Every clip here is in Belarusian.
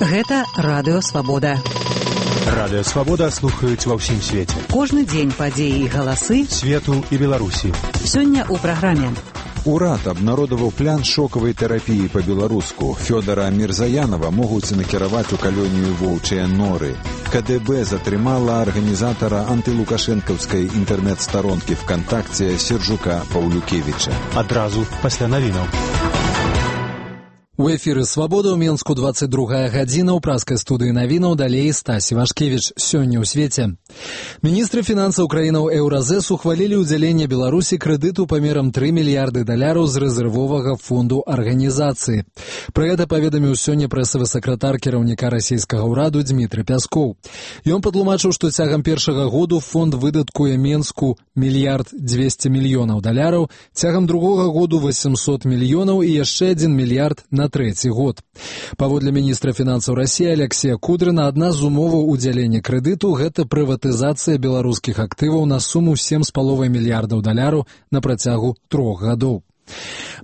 Гэта Радыё Свабода. Радыё Свабода слухаюць ва ўсім свеце. Кожны дзень падзеі і галасы свету і Беларусі. Сёння ў праграме. Урад абнародаваў план шокавай тэрапіі па-беларуску. Фёдара Мірзаянова могуць накіраваць у калонію воўчыя норы. КДБ затрымала арганізатара антылукашэнкаўскай інтэрнэт-старонкі ВКонтакце Сержука Паўлюкевіча. Адразу пасля навінаў. У эфіры «Свабода» ў Менску 22 гадзіна, ў праскай студыі навінаў, далей Стасі Вашкевіч. Сёння ў свеце. Міністры фінансаў краінаў Еўразэс ухвалілі ўдзяленне Беларусі крэдыту памерам $3 мільярды з рэзервовага фонду арганізацыі. Пра гэта паведаміў сёння прэсавы сакратар кіраўніка расійскага ўраду Дмітрый Пяскоў. Ён патлумачыў, што цягам першага году фонд выдаткуе Менску $1 200 мільёнаў, цягам другога году 800 мільёнаў і яшчэ 1 мільярд на трэці год. Паводле міністра фінансаў Расіі Алексея Кудрына, адна з умоваў удзялення крэдыту – гэта прыватызацыя беларускіх актываў на суму $7,5 мільярдаў на працягу 3 гадоў.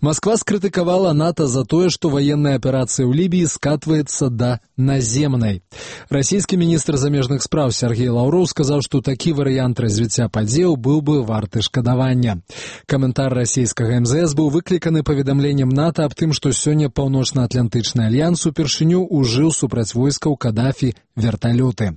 Масква скрытыкавала НАТО за тое, што ваенная аперацыя ў Лібіі скатваецца да наземнай. Расійскі міністр замежных спраў Сергей Лаўроў сказаў, што такі варыянт развіцця падзеяў быў бы варты шкадавання. Каментар расійскага МЗС быў выкліканы паведамленнем НАТО аб тым, што сёння Паўночна-Атлантычны альянс упершыню ўжыў супраць войскаў Кадафі верталёты.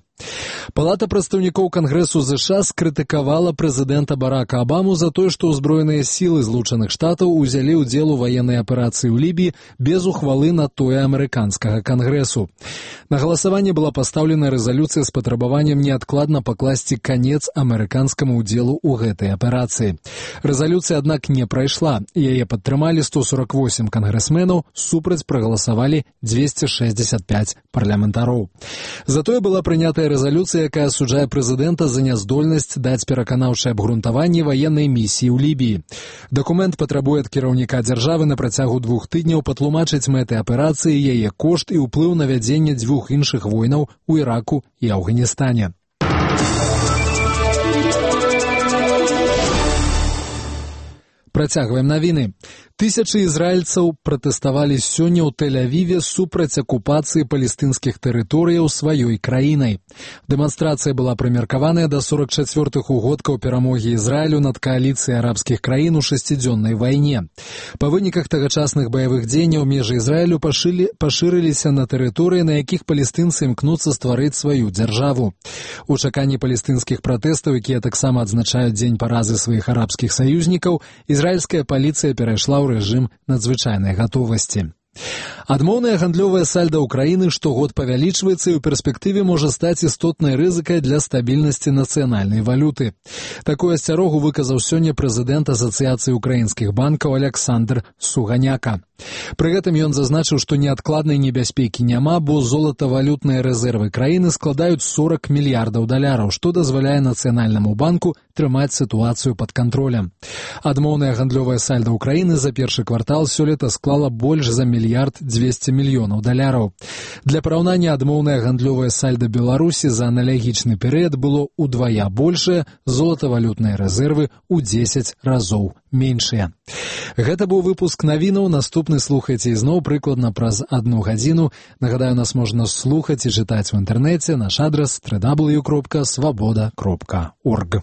Палата прадстаўнікоў Кангрэсу ЗША скрытыкавала прэзідэнта Барака Абаму за тое, што ўзброеныя сілы Злучаных Штатаў узялі ўдзел у ваеннай аперацыі ў Лібіі без ухвалы на тое амерыканскага Кангрэсу. На галасаванне была пастаўлена рэзалюцыя з патрабаваннем неадкладна пакласці канец амерыканскаму ўдзелу ў гэтай аперацыі. Рэзалюцыя, аднак, не прайшла. Яе падтрымалі 148 кангрэсменаў, супраць прагаласавалі 265 парламентароў. Затое была прынятая рэзалюцыя, якая асуджае прэзідэнта за няздольнасць даць пераканаўчае абгрунтаванне ваеннай місіі ў Лібіі. Дакумент патрабуе ад кіраўніка дзяржавы на працягу 2 тыдняў патлумачыць мэты аперацыі, яе кошт і ўплыў на вядзенне 2 іншых войнаў у Іраку і Афганістане. Працягваем навіны. Тысячы ізраільцаў пратэставалі сёння ў Тель-Авіве супраць акупацыі палестынскіх тэрыторыяў сваёй краінай. Дэманстрацыя была прымеркаваная да 44-х угодкаў перамогі Ізраілю над кааліцыяй арабскіх краін у 6-дзённай вайне. Па выніках тагачасных баявых дзеянняў межы Ізраілю пашырыліся на тэрыторыі, на якіх палестынцы імкнуцца стварыць сваю дзяржаву. У чаканні палестынскіх пратэстаў, якія таксама адзначаюць дзень паразы сваіх арабскіх саюзнікаў, ізраільская паліцыя перайшла ў рэжым надзвычайнай гатовасці. Адмоўнае гандлёвае сальда ўкраіны штогод павялічваецца і ў перспектыве можа стаць істотнай рызыкай для стабільнасці нацыянальнай валюты. Такую асцярогу выказаў сёння прэзідэнт Асацыяцыі ўкраінскіх банкаў Аляксандр Суганяка. Пры гэтым ён зазначыў, што неадкладнай небяспекі няма, бо золатавалютныя рэзервы краіны складаюць $40 мільярдаў, што дазваляе Нацыянальнаму банку трымаць сітуацыю пад кантролем. Адмоўнае гандлёвае сальда ўкраіны за першы квартал сёлета склала больш за $1 200 мільёнаў. Для параўнання, адмоўнае гандлёвае сальда Беларусі за аналагічны перыяд было ўдвая большае, золатавалютныя рэзервы ў 10 разоў меншыя. Гэта быў выпуск навінаў. Наступны слухайце ізноў прыкладна праз 1 гадзіну. Нагадаю, нас можна слухаць і чытаць у інтэрнэце. Наш адрас www.swaboda.org.